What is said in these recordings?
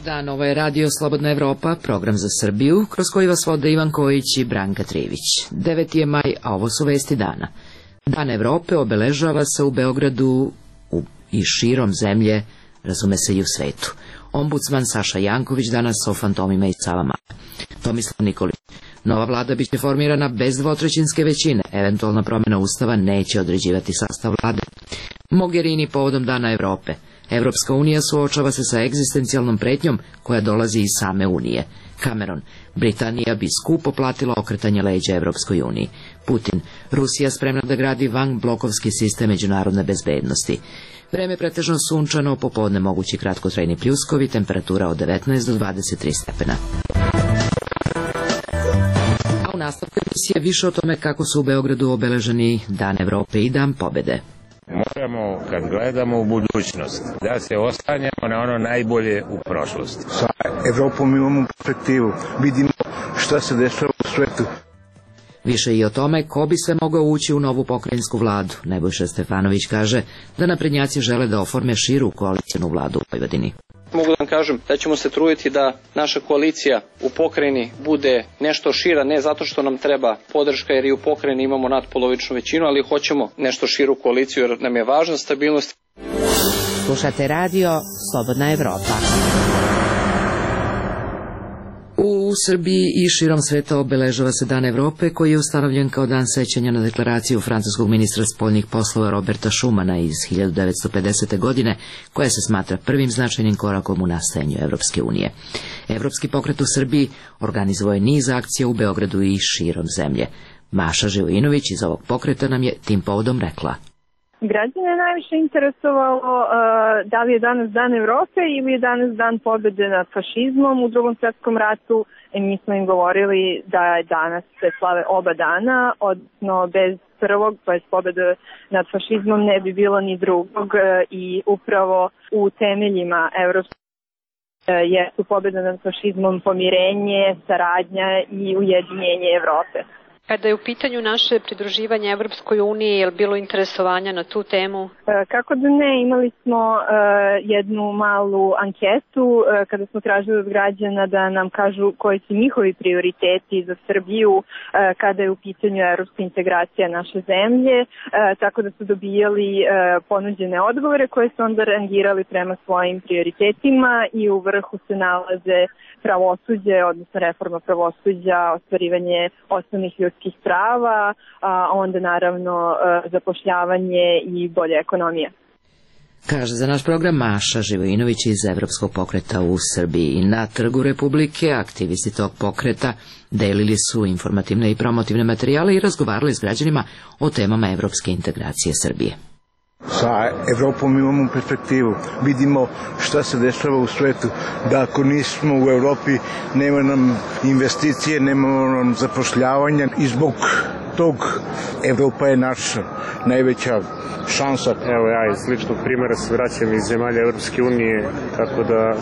Dan, ovo je Radio Slobodna Evropa, program za Srbiju, kroz koji vas vode Ivan Kojić i Branka Trivić. 9. je maj, a ovo su vesti dana. Dan Evrope obeležava se u Beogradu i širom zemlje, razume se i u svetu. Ombudsman Saša Janković danas o fantomima i Savama. Tomislav Nikolić. Nova vlada biće formirana bez dvotrećinske većine. Eventualna promjena ustava neće određivati sastav vlade. Mogherini povodom Dana Evrope. Evropska unija suočava se sa egzistencijalnom pretnjom koja dolazi iz same unije. Cameron. Britanija bi skupo platila okretanje leđa Evropskoj uniji. Putin. Rusija spremna da gradi vanblokovski sistem međunarodne bezbednosti. Vreme pretežno sunčano, popodne mogući kratkotrajni pljuskovi, temperatura od 19 do 23 stepena. A u nastavku emisije više o tome kako su u Beogradu obeleženi Dan Evrope i Dan pobede. Moramo, kad gledamo u budućnost, da se oslanjamo na ono najbolje u prošlosti. Sa Evropom imamo perspektivu, vidimo šta se dešava u svetu. Više i o tome ko bi sve mogao ući u novu pokrajinsku vladu. Nebojša Stefanović kaže da naprednjaci žele da oforme širu koalicijnu vladu u Vojvodini. Mogu da vam kažem da ćemo se truditi da naša koalicija u pokrajini bude nešto šira, ne zato što nam treba podrška jer i u pokrajini imamo nadpolovičnu većinu, ali hoćemo nešto širu koaliciju jer nam je važna stabilnost. Slušate radio Slobodna Evropa. U Srbiji i širom sveta obeležava se Dan Evrope koji je ustanovljen kao dan sećanja na deklaraciju francuskog ministra spoljnih poslova Roberta Schumana iz 1950. godine koja se smatra prvim značajnim korakom u nastajanju Evropske unije. Evropski pokret u Srbiji organizovao je niz akcija u Beogradu i širom zemlje. Maša Živojinović iz ovog pokreta nam je tim povodom rekla. Građane je najviše interesovalo da li je danas Dan Evrope ili je danas Dan pobede nad fašizmom u Drugom svjetskom ratu. Mi smo im govorili da je danas se slave oba dana, odnosno bez prvog, to je pobede nad fašizmom, ne bi bilo ni drugog i upravo u temeljima Evropske jesu pobeda nad fašizmom pomirenje, saradnja i ujedinjenje Evrope. Kada je u pitanju naše pridruživanje Evropskoj uniji, je li bilo interesovanja na tu temu? Kako da ne, imali smo jednu malu anketu kada smo tražili od građana da nam kažu koji su njihovi prioriteti za Srbiju kada je u pitanju evropska integracija naše zemlje, tako da su dobijali ponuđene odgovore koje su onda rangirali prema svojim prioritetima i u vrhu se nalaze pravosuđe, odnosno reforma pravosuđa, ostvarivanje osnovnih ljudskih prava, a onda naravno zapošljavanje i bolja ekonomija. Kaže za naš program Maša Živojinović iz Evropskog pokreta u Srbiji. Na Trgu Republike aktivisti tog pokreta delili su informativne i promotivne materijale i razgovarali s građanima o temama evropske integracije Srbije. Sa Evropom imamo perspektivu, vidimo šta se dešava u svetu, da ako nismo u Evropi nema nam investicije, nema nam zapošljavanja i zbog tog Evropa je naša najveća šansa. Evo ja iz ličnog primjera se vraćam iz zemalja Evropske unije, tako da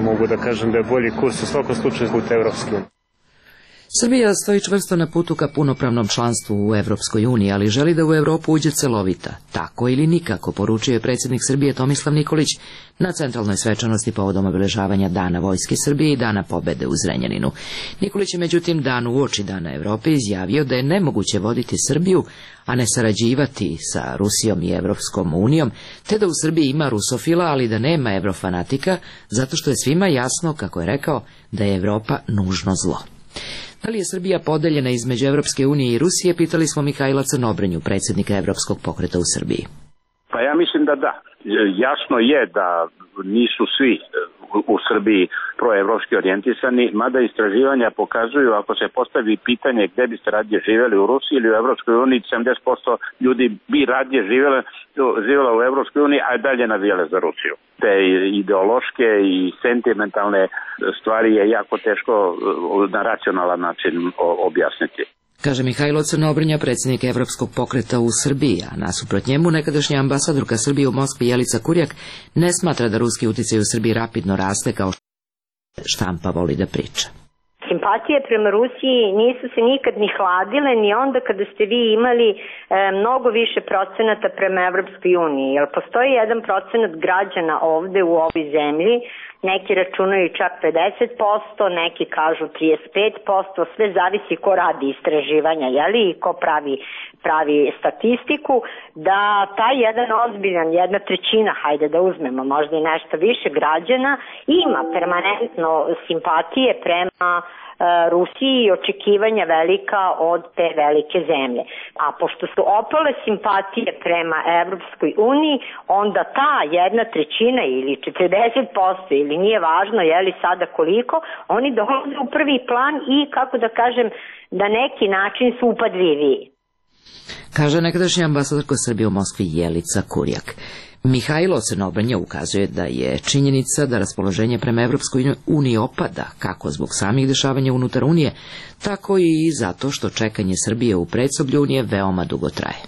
mogu da kažem da je bolji kurs u svakom slučaju put Evropske unije. Srbija stoji čvrsto na putu ka punopravnom članstvu u Evropskoj uniji, ali želi da u Evropu uđe celovita. Tako ili nikako, poručio je predsjednik Srbije Tomislav Nikolić na centralnoj svečanosti povodom obeležavanja Dana Vojske Srbije i Dana pobede u Zrenjaninu. Nikolić je međutim dan uoči Dana Evrope izjavio da je nemoguće voditi Srbiju, a ne sarađivati sa Rusijom i Evropskom unijom, te da u Srbiji ima rusofila, ali da nema evrofanatika, zato što je svima jasno, kako je rekao, da je Evropa nužno zlo. Da li je Srbija podeljena između Evropske unije i Rusije, pitali smo Mihajla Crnobranju, predsjednika Evropskog pokreta u Srbiji. Pa ja mislim da da. Jasno je da nisu svi u Srbiji proevropski orijentisani, mada istraživanja pokazuju, ako se postavi pitanje gde biste radije živjeli, u Rusiji ili u Evropskoj uniji, 70% ljudi bi radije živjela u Evropskoj uniji, a dalje navijale za Rusiju. Te ideološke i sentimentalne stvari je jako teško na racionalan način objasniti. Kaže Mihajlo Crnobrnja, predsjednik Evropskog pokreta u Srbiji, a nasuprot njemu nekadašnja ambasadorka Srbije u Moskvi Jelica Kurjak ne smatra da ruski uticaj u Srbiji rapidno raste kao štampa voli da priča. Simpatije prema Rusiji nisu se nikad ni hladile, ni onda kada ste vi imali mnogo više procenata prema Evropskoj uniji. Jer postoji 1% građana ovde u ovoj zemlji neki računaju čak 50%, neki kažu 35%, sve zavisi ko radi istraživanja, jeli, i ko pravi statistiku, da taj jedan ozbiljan, 1/3, hajde da uzmemo, možda i nešto više građana, ima permanentno simpatije prema Rusiji i očekivanja velika od te velike zemlje. A pošto su opale simpatije prema Evropskoj uniji, onda ta 1/3 ili 40% ili nije važno je li sada koliko, oni dolaze u prvi plan i, kako da kažem, na neki način su upadljiviji. Kaže nekadašnja ambasadorka Srbije u Moskvi Jelica Kurjak. Mihajlo Crnobrnja ukazuje da je činjenica da raspoloženje prema Evropskoj uniji opada, kako zbog samih dešavanja unutar Unije, tako i zato što čekanje Srbije u predsoblju Unije veoma dugo traje.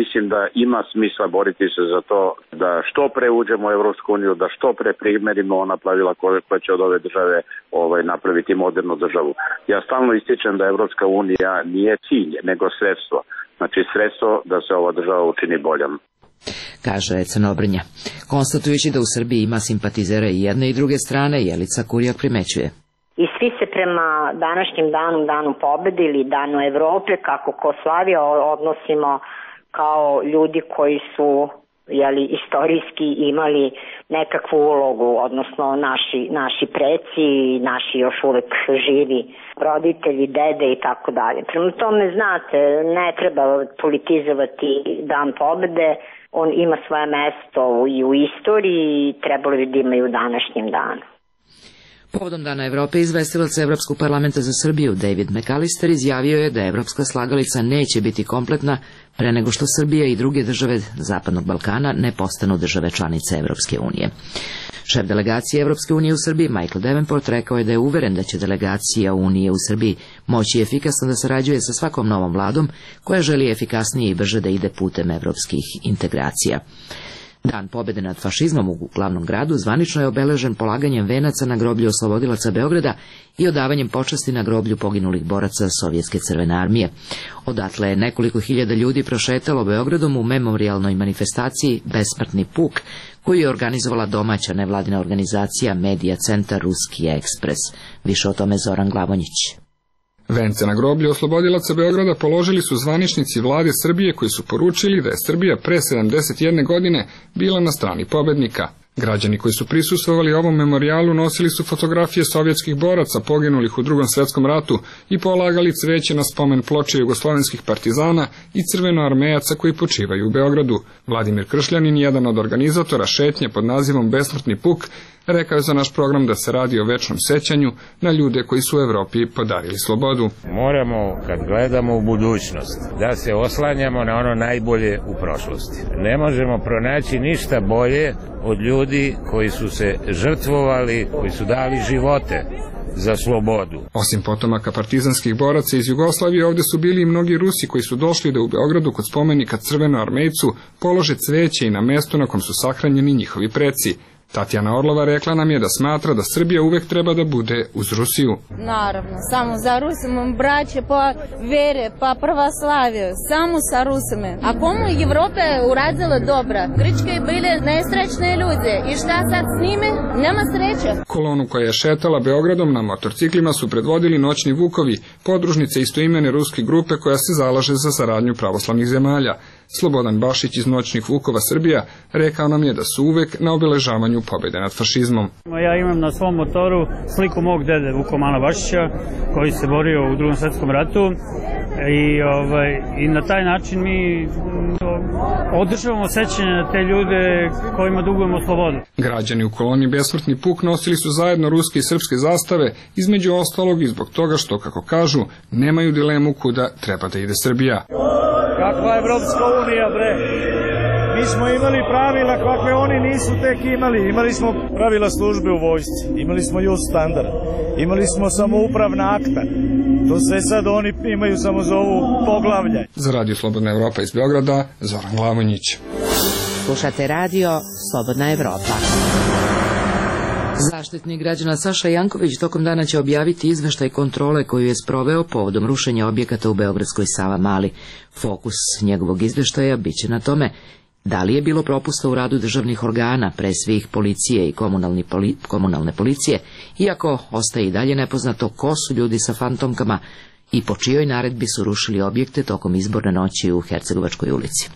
Mislim da ima smisla boriti se za to da što pre uđemo u Evropsku uniju, da što pre primerimo ona pravila koja će od ove države napraviti modernu državu. Ja stalno ističem da Evropska unija nije cilj, nego sredstvo. Znači sredstvo da se ova država učini boljom. Kaže Crnobrnja. Konstatujući da u Srbiji ima simpatizera i jedne i druge strane, Jelica Kurjak primećuje. I svi se prema današnjim danu pobede ili danu Evrope, kako ko slavi, odnosimo kao ljudi koji su istorijski imali nekakvu ulogu, odnosno naši preci, naši još uvek živi roditelji, dede i tako dalje. Prema tome, znate, ne treba politizovati dan pobede, on ima svoje mesto i u istoriji i trebalo bi da ima i u današnjem danu. Povodom Dana Evrope izvestilac Evropskog parlamenta za Srbiju David McAllister izjavio je da evropska slagalica neće biti kompletna pre nego što Srbija i druge države Zapadnog Balkana ne postanu države članice Evropske unije. Šef delegacije Evropske unije u Srbiji Michael Davenport rekao je da je uveren da će delegacija Unije u Srbiji moći efikasno da sarađuje sa svakom novom vladom koja želi efikasnije i brže da ide putem evropskih integracija. Dan pobede nad fašizmom u glavnom gradu zvanično je obeležen polaganjem venaca na groblju oslobodilaca Beograda i odavanjem počasti na groblju poginulih boraca Sovjetske crvene armije. Odatle je nekoliko hiljada ljudi prošetalo Beogradom u memorijalnoj manifestaciji Besmrtni puk, koju je organizovala domaća nevladina organizacija Medija centar Ruski ekspres. Više o tome Zoran Glavonjić. Vence na groblju oslobodilaca Beograda položili su zvaničnici vlade Srbije koji su poručili da je Srbija pre 71 godine bila na strani pobednika. Građani koji su prisustvovali ovom memorijalu nosili su fotografije sovjetskih boraca poginulih u Drugom svjetskom ratu i polagali cveće na spomen ploče jugoslovenskih partizana i crvenoarmejaca koji počivaju u Beogradu. Vladimir Kršljanin, jedan od organizatora šetnje pod nazivom Besmrtni puk, rekao je za naš program da se radi o večnom sećanju na ljude koji su u Evropi podarili slobodu. Moramo, kad gledamo u budućnost, da se oslanjamo na ono najbolje u prošlosti. Ne možemo pronaći ništa bolje od ljudi koji su se žrtvovali, koji su dali živote za slobodu. Osim potomaka partizanskih boraca iz Jugoslavije, ovde su bili i mnogi Rusi koji su došli da u Beogradu kod spomenika Crvenoarmejcu polože cveće i na mesto na kom su sahranjeni njihovi preci. Tatjana Orlova rekla nam je da smatra da Srbija uvek treba da bude uz Rusiju. Naravno, samo za Rusima, braće po vere, pa pravoslaviju, samo sa Rusima. A komu Evropa je uradila dobra? Grčke bile nesrećne ljude i šta sad s njime? Nema sreće. Kolonu koja je šetala Beogradom na motorciklima su predvodili Noćni vukovi, podružnice istoimene ruske grupe koja se zalaže za saradnju pravoslavnih zemalja. Slobodan Bašić iz Noćnih vukova Srbija rekao nam je da su uvek na obeležavanju pobjede nad fašizmom. Ja imam na svom motoru sliku mog dede Vukomana Bašića koji se borio u Drugom svjetskom ratu i na taj način mi održavamo sećanje na te ljude kojima dugujemo slobodu. Građani u koloni Besmrtni puk nosili su zajedno ruske i srpske zastave, između ostalog i zbog toga što, kako kažu, nemaju dilemu kuda treba da ide Srbija. Kakva Evropska unija, bre? Mi smo imali pravila kakve oni nisu tek imali. Imali smo pravila službe u vojsci, imali smo just standard, imali smo samoupravna akta. To sve sad oni imaju samo za ovu poglavlje. Za Radio Slobodna Evropa iz Beograda, Zoran Glavonjić. Slušate Radio Slobodna Evropa. Zaštitnik građana Saša Janković tokom dana će objaviti izveštaj kontrole koju je sproveo povodom rušenja objekata u beogradskoj Savamali. Fokus njegovog izveštaja biće na tome Da li je bilo propusta u radu državnih organa, pre svih policije i komunalne policije, iako ostaje i dalje nepoznato ko su ljudi sa fantomkama i po čijoj naredbi su rušili objekte tokom izborne noći u Hercegovačkoj ulici.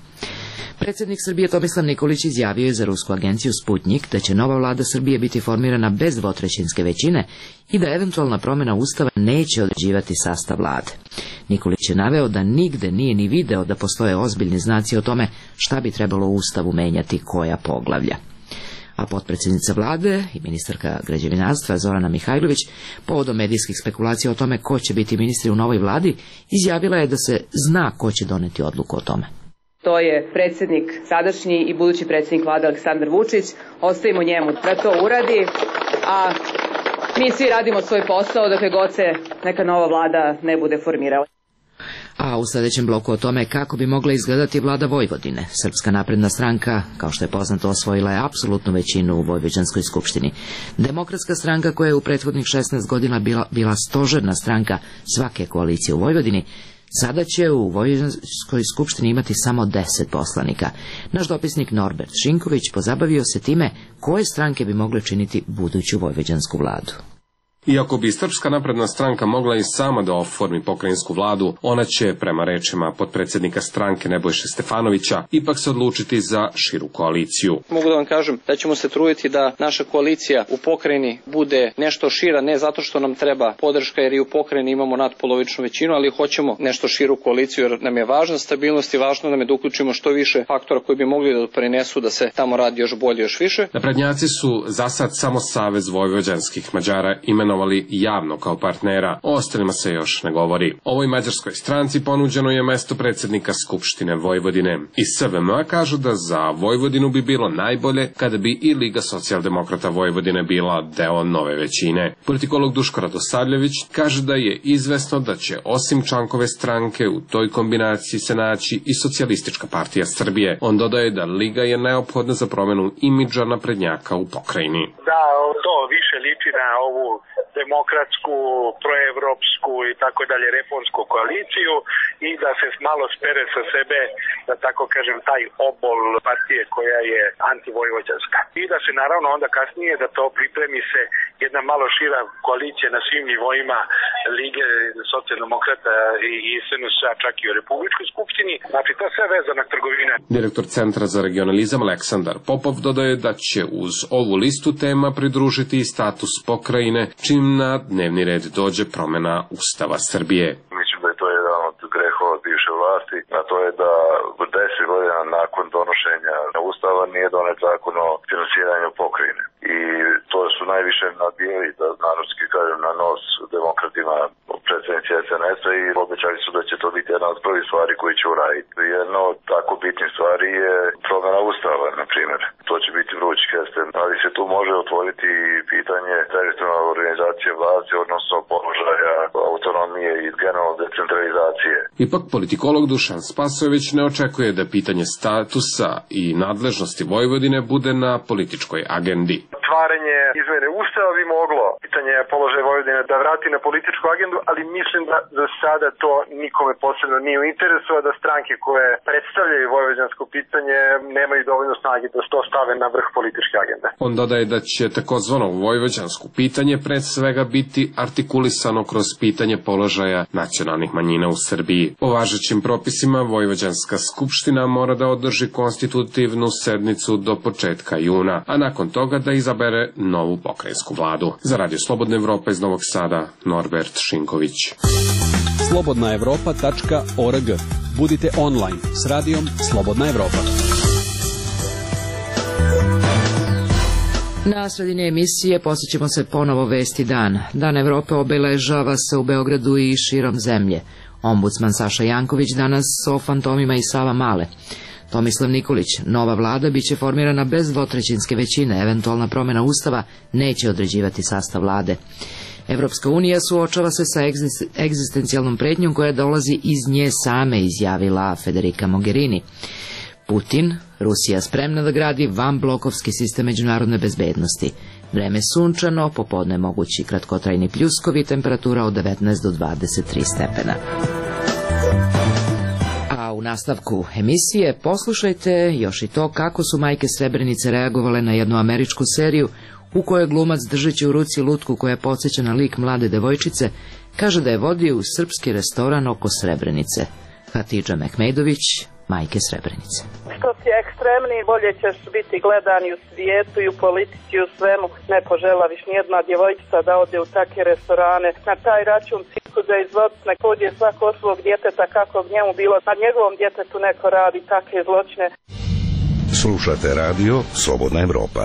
Predsjednik Srbije Tomislav Nikolić izjavio je za rusku agenciju Sputnik da će nova vlada Srbije biti formirana bez dvotrećinske većine i da eventualna promjena Ustava neće određivati sastav vlade. Nikolić je naveo da nigde nije ni video da postoje ozbiljni znaci o tome šta bi trebalo u Ustavu menjati koja poglavlja. A potpredsjednica vlade i ministarka građevinarstva Zorana Mihajlović, povodom medijskih spekulacija o tome ko će biti ministri u novoj vladi, izjavila je da se zna ko će doneti odluku o tome. To je predsjednik sadašnji i budući predsjednik vlade Aleksandar Vučić. Ostavimo njemu da to uradi, a mi svi radimo svoj posao dokle god se neka nova vlada ne bude formirala. A u sljedećem bloku o tome kako bi mogla izgledati vlada Vojvodine. Srpska napredna stranka, kao što je poznato, osvojila je apsolutnu većinu u Vojvođanskoj skupštini. Demokratska stranka, koja je u prethodnih 16 godina bila stožerna stranka svake koalicije u Vojvodini, sada će u Vojvođanskoj skupštini imati samo 10 poslanika. Naš dopisnik Norbert Šinković pozabavio se time koje stranke bi mogle činiti buduću vojvođansku vladu. Iako bi Srpska napredna stranka mogla i sama da oformi pokrajinsku vladu, ona će, prema rečima potpredsjednika stranke Nebojše Stefanovića, ipak se odlučiti za širu koaliciju. Mogu da vam kažem da ćemo se truditi da naša koalicija u pokrajini bude nešto šira, ne zato što nam treba podrška jer i u pokrajini imamo nadpolovičnu većinu, ali hoćemo nešto širu koaliciju jer nam je važna stabilnost i važno nam je da uključimo što više faktora koji bi mogli da doprinesu da se tamo radi još bolje, još više. Naprednjaci su za sad samo Savez vojvođanskih Mađara imenovali javno kao partnera, o ostalima se još ne govori. Ovoj mađarskoj stranci ponuđeno je mesto predsjednika Skupštine Vojvodine. Iz SVM kažu da za Vojvodinu bi bilo najbolje kada bi i Liga socijaldemokrata Vojvodine bila deo nove većine. Politikolog Duško Radosavljević kaže da je izvesno da će osim Čankove stranke u toj kombinaciji se naći i Socijalistička partija Srbije. On dodaje da Liga je neophodna za promjenu imidža naprednjaka u pokrajini. Da, to više liči na ovu demokratsku, proevropsku i tako dalje reformsku koaliciju i da se malo spere sa sebe, da tako kažem, taj obol partije koja je antivojvođanska. I da se naravno onda kasnije da to pripremi se jedna malo šira koalicija na svim nivoima Lige socijaldemokrata i SNS-a, čak i u Republičkoj skupštini. Znači, to sve vezana trgovina. Direktor Centra za regionalizam Aleksandar Popov dodaje da će uz ovu listu tema pridružiti i status pokrajine, čim na dnevni red dođe promjena Ustava Srbije. Mislim da je to jedan od grehova bivše vlasti, a to je da 10 godina nakon donošenja Ustava nije donet zakon o finansiranju pokrajine. I to su najviše nabijali, da narodski kažem, na nos demokratima predsjednici SNS-a i obećali su da će to biti jedna od prvih stvari koji će uraditi. Jedna od tako bitnih stvari je promjena Ustava, na primjer. To će biti vrući kesten, ali se tu može otvoriti pitanje teritorijalne organizacije vlasti, odnosno položaja autonomije i generalne decentralizacije. Ipak politikolog Dušan Spasojević ne očekuje da pitanje statusa i nadležnosti Vojvodine bude na političkoj agendi. Otvaranje izmene Ustava bi moglo pitanje položaja Vojvodine da vrati na političku agendu, ali mislim da za sada to nikome posebno nije u interesu, a da stranke koje predstavljaju vojvođansko pitanje nemaju dovoljno snage da to stave na vrh političke agende. On dodaje da će takozvano vojvođansko pitanje pred svega biti artikulisano kroz pitanje položaja nacionalnih manjina u Srbiji. Po važećim propisima Vojvođanska skupština mora da održi konstitutivnu sednicu do početka juna, a nakon toga da izabere novu pokrajinsku vladu. Za Radio Slobodna Evropa iz Novog Sada, Norbert Šinković. slobodnaevropa.org. Budite online s radijom Slobodna Evropa. Na sredini emisije posjećemo se ponovo Vesti dan. Dan Evrope obeležava se u Beogradu i širom zemlje. Ombudsman Saša Janković danas o fantomima i Sava Male. Tomislav Nikolić, nova vlada biće formirana bez dvotrećinske većine, eventualna promjena Ustava neće određivati sastav vlade. Evropska unija suočava se sa egzistencijalnom pretnjom koja dolazi iz nje same, izjavila Federica Mogherini. Putin, Rusija spremna da gradi vanblokovski sistem međunarodne bezbednosti. Vreme sunčano, popodne mogući kratkotrajni pljuskovi, temperatura od 19 do 23 stepena. A u nastavku emisije poslušajte još i to kako su majke Srebrenice reagovale na jednu američku seriju u kojoj glumac, držeći u ruci lutku koja podsjeća na lik mlade devojčice, kaže da je vodio u srpski restoran oko Srebrenice. Hatidža Mehmedović, majke Srebrenice. Što si ekstremni, bolje ćeš biti gledan i u svijetu i u politici i u svemu. Ne poželaviš nijedna djevojčica da ode u takve restorane. Na taj račun cirkuza izvoditi nek pođe svako svog djeteta kako bi njemu bilo. Na njegovom djetetu neko radi takve zločine. Slušate radio Slobodna Evropa.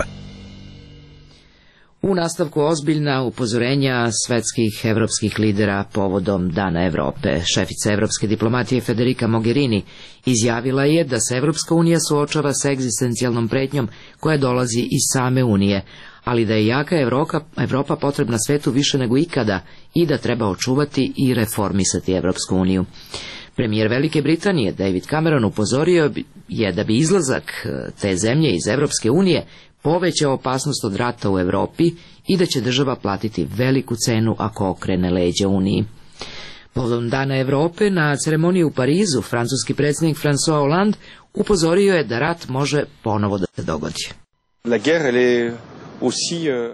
U nastavku ozbiljna upozorenja svetskih evropskih lidera povodom Dana Evrope. Šefica evropske diplomatije Federica Mogherini izjavila je da se Evropska unija suočava sa egzistencijalnom pretnjom koja dolazi iz same unije, ali da je jaka Evropa potrebna svetu više nego ikada i da treba očuvati i reformisati Evropsku uniju. Premijer Velike Britanije David Cameron upozorio je da bi izlazak te zemlje iz Evropske unije povećao opasnost od rata u Europi i da će država platiti veliku cenu ako okrene leđa Uniji. Povodom Dana Evrope na ceremoniji u Parizu francuski predsjednik François Hollande upozorio je da rat može ponovo da se dogodi.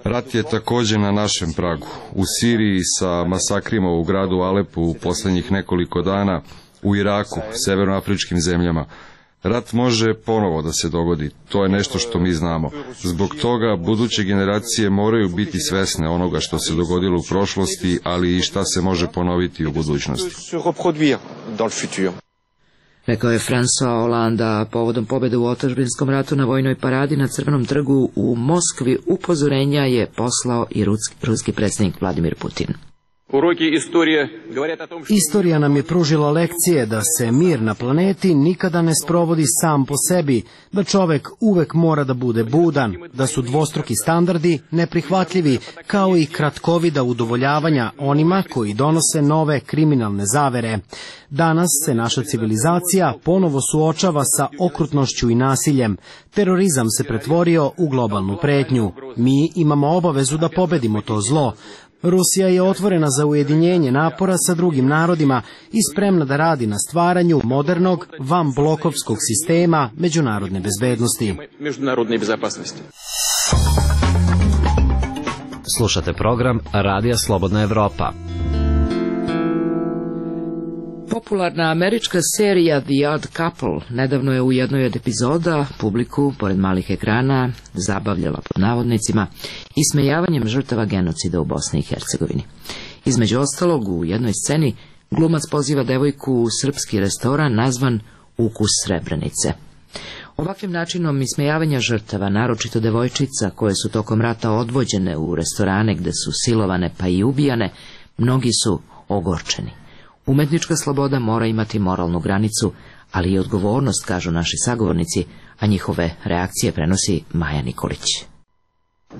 Rat je također na našem pragu. U Siriji sa masakrima u gradu Alepu u posljednjih nekoliko dana, u Iraku, severnoafričkim zemljama. Rat može ponovo da se dogodi, to je nešto što mi znamo. Zbog toga buduće generacije moraju biti svesne onoga što se dogodilo u prošlosti, ali i šta se može ponoviti u budućnosti. Rekao je François Hollande povodom pobjede u otadžbinskom ratu na vojnoj paradi na Crvenom trgu u Moskvi. Upozorenja je poslao i ruski predsjednik Vladimir Putin. Istorija nam je pružila lekcije da se mir na planeti nikada ne sprovodi sam po sebi, da čovek uvek mora da bude budan, da su dvostruki standardi neprihvatljivi, kao i kratkovida udovoljavanja onima koji donose nove kriminalne zavere. Danas se naša civilizacija ponovo suočava sa okrutnošću i nasiljem. Terorizam se pretvorio u globalnu pretnju. Mi imamo obavezu da pobedimo to zlo. Rusija je otvorena za ujedinjenje napora sa drugim narodima i spremna da radi na stvaranju modernog, vanblokovskog sistema međunarodne bezbednosti. Slušate program Radija Slobodna Evropa. Popularna američka serija The Odd Couple nedavno je u jednoj od epizoda publiku, pored malih ekrana, zabavljala pod navodnicima ismejavanjem žrtava genocida u Bosni i Hercegovini. Između ostalog, u jednoj sceni glumac poziva devojku u srpski restoran nazvan Ukus Srebrenice. Ovakvim načinom ismejavanja žrtava, naročito devojčica koje su tokom rata odvođene u restorane gde su silovane pa i ubijane, mnogi su ogorčeni. Umetnička sloboda mora imati moralnu granicu, ali i odgovornost, kažu naši sagovornici, a njihove reakcije prenosi Maja Nikolić.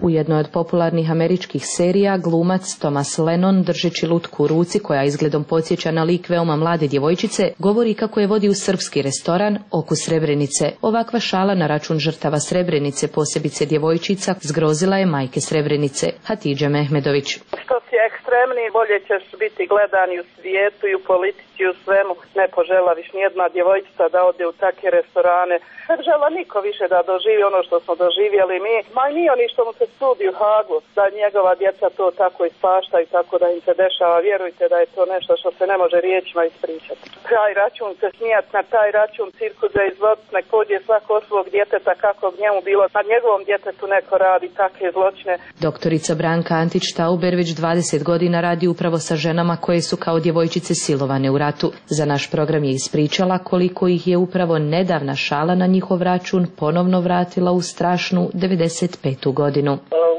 U jednoj od popularnih američkih serija glumac Thomas Lennon, držeći lutku u ruci koja izgledom podsjeća na lik veoma mlade djevojčice, govori kako je vodi u srpski restoran Okus Srebrenice. Ovakva šala na račun žrtava Srebrenice, posebice djevojčica, zgrozila je majke Srebrenice. Hatidža Mehmedović. Što si ekstremni, bolje ćeš biti gledan i u svijetu i u politici i u svemu. Ne poželaviš nijedna djevojčica da ode u takve restorane. Ne žela niko više da doživi ono što smo doživjeli mi. Ma i nije oni što mu se sudi u Hagu, da njegova djeca to tako ispaštaju, tako da im se dešava. Vjerujte da je to nešto što se ne može riječima ispričati. Taj račun se smijat, na taj račun cirkuza izvoditi, nek pođe svako svog djeteta kako bi njemu bilo. Na njegovom djetetu neko radi takve zločine. Doktorica Branka Antić-Tauber već 20 godina radi upravo sa ženama koje su kao djevojčice silovane u ratu. Za naš program je ispričala koliko ih je upravo nedavna šala na njihov račun ponovno vratila u strašnu 95. godinu.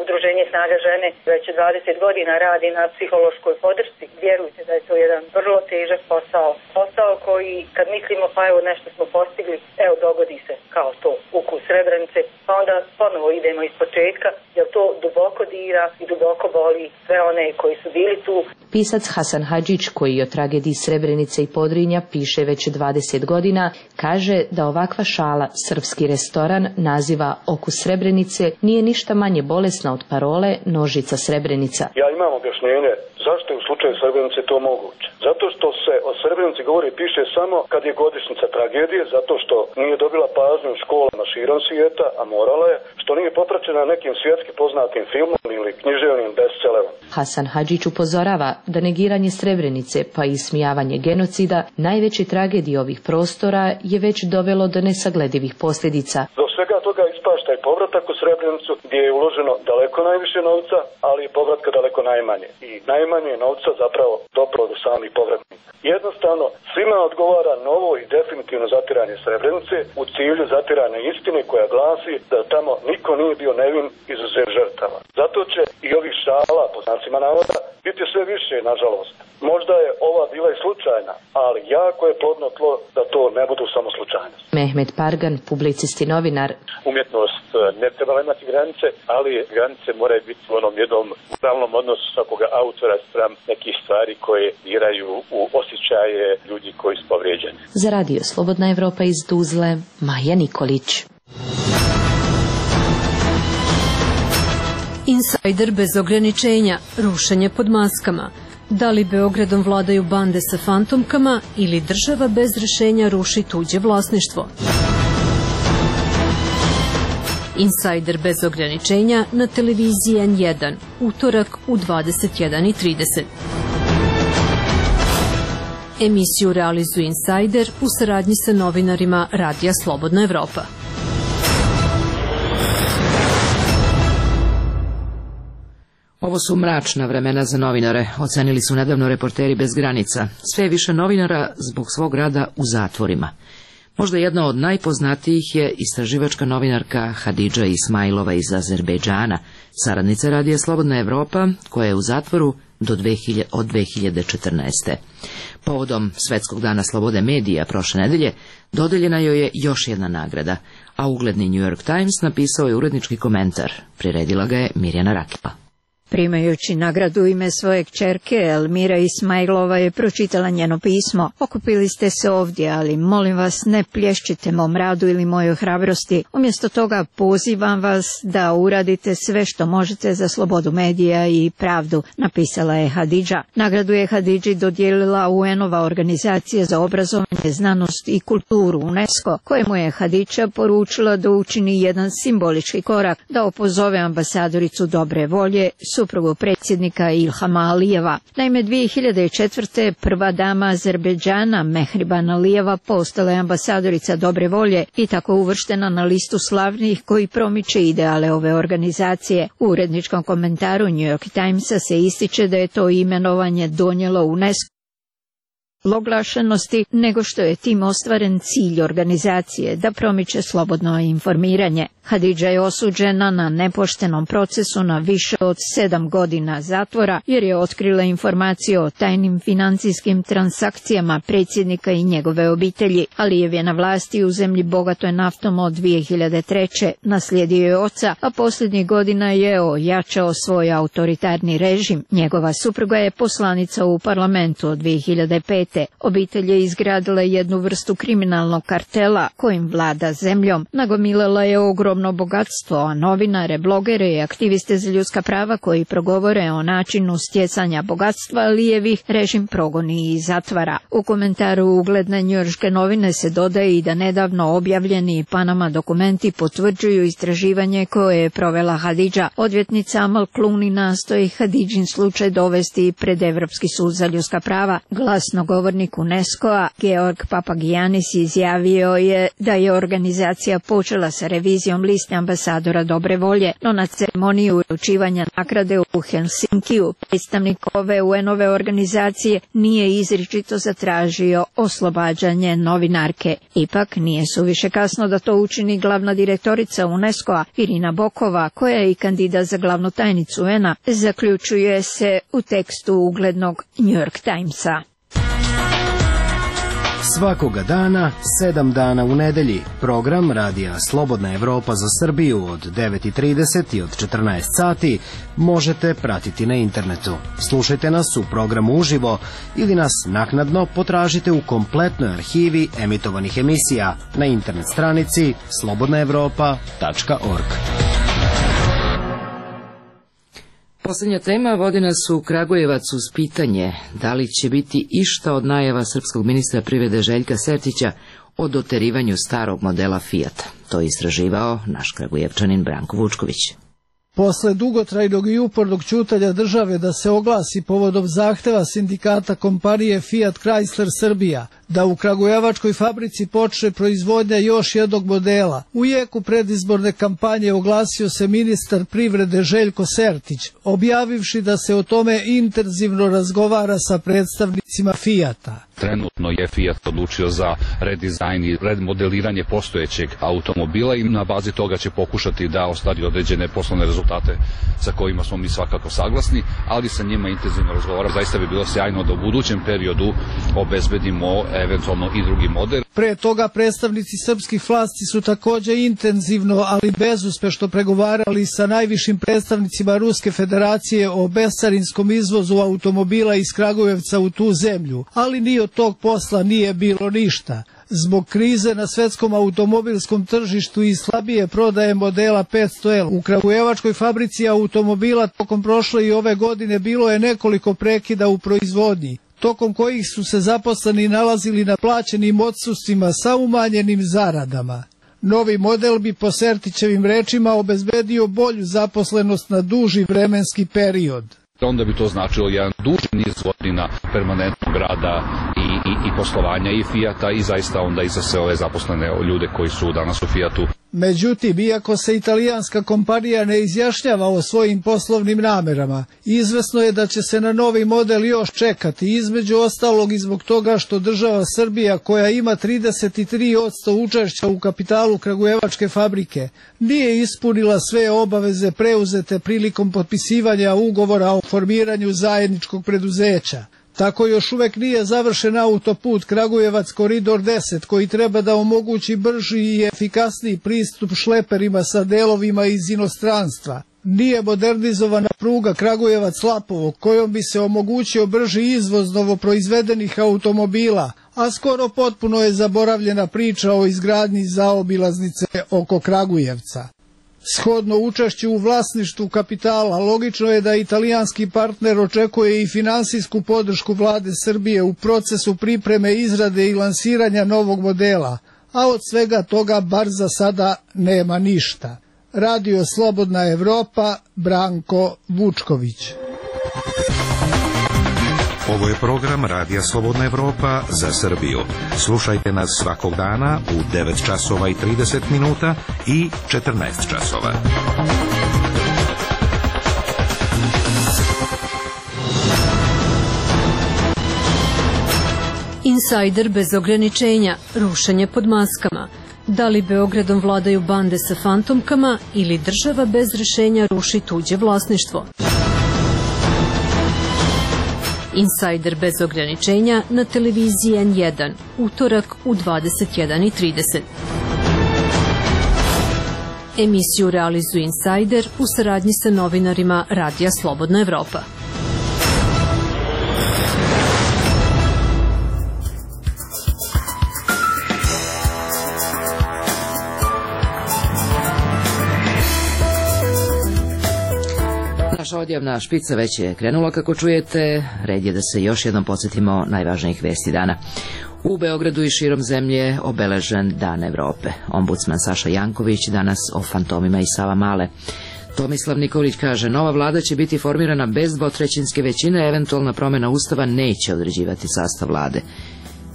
Udruženje Snaga žene već 20 godina radi na psihološkoj podršci. Vjerujte da je to jedan vrlo težak posao. Posao koji, kad mislimo pa evo nešto smo postigli, evo dogodi se kao to Ukus Srebrenice, pa onda ponovo idemo iz početka, jer to duboko dira i duboko boli sve one koji su bili tu. Pisac Hasan Hadžić, koji o tragediji Srebrenice i Podrinja piše već 20 godina, kaže da ovakva šala srpski restoran naziva Okus Srebrenice nije ništa manje bolesna od parole no Nožica Srebrenica. Ja imam objašnjenje zašto je u slučaju Srebrenice to moguće. Zato što se o Srebrenici govori i piše samo kad je godišnjica tragedije, zato što nije dobila pažnju u školama širom svijeta, a morala je, što nije popraćena nekim svjetski poznatim filmom ili književnim bestsellerom. Hasan Hadžić upozorava da negiranje Srebrenice pa i ismijavanje genocida, najveće tragedije ovih prostora, je već dovelo do nesagledivih posljedica. Do svega toga ispašta i povratak u Srebrenicu gdje je uloženo daleko najviše novca, ali i povratka daleko najmanje. I najmanje novca zapravo dopro do samih povratnika. Jednostavno, svima odgovara novo i definitivno zatiranje Srebrenice u cilju zatiranja istine koja glasi da tamo niko nije bio nevin izuzev žrtava. Zato će i ovih šala, po znacima navoda, biti sve više, nažalost. Možda je ova bila i slučajna, ali jako je plodno tlo da to ne budu samo slučajnosti. Mehmet Pargan, publicist i novinar. Umjetnost ne treba imati granice, ali granice moraju biti u onom jednom stalnom odnosu svakoga autora spram nekih stvari koje diraju u osjećaje ljudi koji su povrijeđeni. Za radio Slobodna Evropa iz Tuzle, Maja Nikolić. Insajder bez ograničenja, rušenje pod maskama. Da li Beogradom vladaju bande sa fantomkama ili država bez rešenja ruši tuđe vlasništvo? Insajder bez ograničenja na televiziji N1, utorak u 21:30. Emisiju realizuje Insajder u saradnji sa novinarima Radija Slobodna Evropa. Ovo su mračna vremena za novinare, ocenili su nedavno Reporteri bez granica. Sve je više novinara zbog svog rada u zatvorima. Možda jedna od najpoznatijih je istraživačka novinarka Hadidža Ismailova iz Azerbejdžana, saradnica Radija Slobodna Evropa, koja je u zatvoru od 2014. Povodom Svetskog dana slobode medija prošle nedelje dodeljena joj je još jedna nagrada, a ugledni New York Times napisao je urednički komentar. Priredila ga je Mirjana Rakila. Primajući nagradu u ime svoje kćerke, Elmira Ismailova je pročitala njeno pismo. Okupili ste se ovdje, ali molim vas ne plješćite mom radu ili mojoj hrabrosti. Umjesto toga pozivam vas da uradite sve što možete za slobodu medija i pravdu, napisala je Hadidža. Nagradu je Hadidži dodijelila UN-ova organizacija za obrazovanje, znanost i kulturu UNESCO, kojemu je Hadidža poručila da učini jedan simbolički korak, da opozove ambasadoricu dobre volje, suprugu predsjednika Ilhama Alijeva. Naime, 2004. prva dama Azerbejdžana Mehriban Alijeva postala je ambasadorica dobre volje i tako uvrštena na listu slavnih koji promiče ideale ove organizacije. U uredničkom komentaru New York Timesa se ističe da je to imenovanje donijelo UNESCO oglašenosti, nego što je tim ostvaren cilj organizacije da promiče slobodno informiranje. Hadidža je osuđena na nepoštenom procesu na više od 7 godina zatvora jer je otkrila informacije o tajnim financijskim transakcijama predsjednika i njegove obitelji. Alijev je na vlasti u zemlji bogatoj naftom od 2003. Naslijedio je oca, a posljednjih godina je ojačao svoj autoritarni režim. Njegova supruga je poslanica u parlamentu od 2005. Obitelj je izgradila jednu vrstu kriminalnog kartela kojim vlada zemljom. Nagomilala je ogromno bogatstvo, a novinare, blogere i aktiviste za ljudska prava koji progovore o načinu stjecanja bogatstva Alijevih režim progoni i zatvara. U komentaru ugledne njujorške novine se dodaje i da nedavno objavljeni Panama dokumenti potvrđuju istraživanje koje je provela Hadidža. Odvjetnica Amal Clooney nastoji Hadidžin slučaj dovesti pred Evropski sud za ljudska prava. Glasnogovornik UNESCO-a Georg Papagiannis izjavio je da je organizacija počela sa revizijom liste ambasadora dobre volje, no na ceremoniji uručivanja nagrade u Helsinkiju predstavnik ove UN-ove organizacije nije izričito zatražio oslobađanje novinarke. Ipak nije suviše kasno da to učini glavna direktorica UNESCO-a Irina Bokova, koja je i kandidat za glavnu tajnicu UN-a, zaključuje se u tekstu uglednog New York Timesa. Svakoga dana, 7 dana u nedelji, program Radija Slobodna Evropa za Srbiju od 9:30 i od 14 sati možete pratiti na internetu. Slušajte nas u programu uživo ili nas naknadno potražite u kompletnoj arhivi emitovanih emisija na internet stranici slobodnaevropa.org. Poslednja tema vodi nas u Kragujevac uz pitanje da li će biti išta od najava srpskog ministra privrede Željka Sertića o doterivanju starog modela Fijata. To je istraživao naš Kragujevčanin Branko Vučković. Posle dugotrajnog i upornog ćutanja države da se oglasi povodom zahteva sindikata kompanije Fiat Chrysler Srbija da u kragujevačkoj fabrici počne proizvodnja još jednog modela, u jeku predizborne kampanje oglasio se ministar privrede Željko Sertić, objavivši da se o tome intenzivno razgovara sa predstavnicima Fijata. Trenutno je Fiat odlučio za redizajn i remodeliranje postojećeg automobila i na bazi toga će pokušati da ostvari određene poslovne rezultate sa kojima smo mi svakako saglasni, ali sa njima intenzivno razgovara. Zaista bi bilo sjajno da u budućem periodu obezbedimo eventualno i drugi model. Pre toga predstavnici srpskih vlasti su takođe intenzivno, ali bezuspešno pregovarali sa najvišim predstavnicima Ruske federacije o bescarinskom izvozu automobila iz Kragujevca u tu zemlju, ali ni od tog posla nije bilo ništa. Zbog krize na svetskom automobilskom tržištu i slabije prodaje modela 500L u kragujevačkoj fabrici automobila tokom prošle i ove godine bilo je nekoliko prekida u proizvodnji, tokom kojih su se zaposleni nalazili na plaćenim odsustvima sa umanjenim zaradama. Novi model bi po Sertićevim rečima obezbedio bolju zaposlenost na duži vremenski period. Onda bi to značilo jedan duži niz godina permanentnog rada i poslovanja i Fijata i zaista onda i za sve ove zaposlene ljude koji su danas u Fijatu. Međutim, iako se italijanska kompanija ne izjašnjava o svojim poslovnim namerama, izvesno je da će se na novi model još čekati, između ostalog i zbog toga što država Srbija, koja ima 33% učešća u kapitalu kragujevačke fabrike, nije ispunila sve obaveze preuzete prilikom potpisivanja ugovora o formiranju zajedničkog preduzeća. Tako još uvek nije završen autoput Kragujevac Koridor 10 koji treba da omogući brži i efikasniji pristup šleperima sa delovima iz inostranstva. Nije modernizovana pruga Kragujevac-Lapovo kojom bi se omogućio brži izvoz novoproizvedenih automobila, a skoro potpuno je zaboravljena priča o izgradnji zaobilaznice oko Kragujevca. Shodno učešću u vlasništvu kapitala, logično je da italijanski partner očekuje i finansijsku podršku vlade Srbije u procesu pripreme, izrade i lansiranja novog modela, a od svega toga bar za sada nema ništa. Radio Slobodna Evropa, Branko Vučković. Ovo je program Radija Slobodna Evropa za Srbiju. Slušajte nas svakog dana u 9 časova i 30 minuta i 14 časova. Insajder bez ograničenja, rušenje pod maskama. Da li Beogradom vladaju bande sa fantomkama ili država bez rešenja ruši tuđe vlasništvo? Insajder bez ograničenja na televiziji N1, utorak u 21:30. Emisiju realizuje Insajder u saradnji sa novinarima Radija Slobodna Evropa. Naša odjavna špica već je krenula, kako čujete. Red je da se još jednom podsjetimo najvažnijih vesti dana. U Beogradu i širom zemlje obeležen Dan Evrope. Ombudsman Saša Janković danas o fantomima i Savamale. Tomislav Nikolić kaže, nova vlada će biti formirana bez dvotrećinske većine, eventualna promjena ustava neće određivati sastav vlade.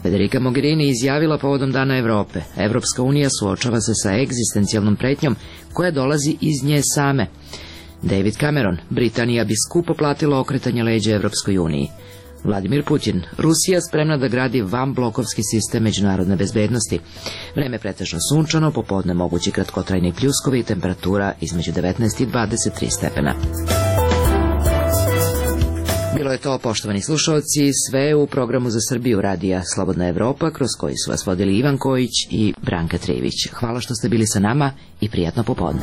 Federica Mogherini izjavila povodom Dana Evrope. Evropska unija suočava se sa egzistencijalnom pretnjom koja dolazi iz nje same. David Cameron, Britanija bi skupo platila okretanje leđa Evropskoj uniji. Vladimir Putin, Rusija spremna da gradi vanblokovski sistem međunarodne bezbednosti. Vreme pretežno sunčano, popodne mogući kratkotrajni pljuskovi i temperatura između 19 i 23 stepena. Bilo je to, poštovani slušalci, sve u programu za Srbiju Radija Slobodna Evropa, kroz koji su vas vodili Ivan Kojić i Branka Trević. Hvala što ste bili sa nama i prijatno popodne.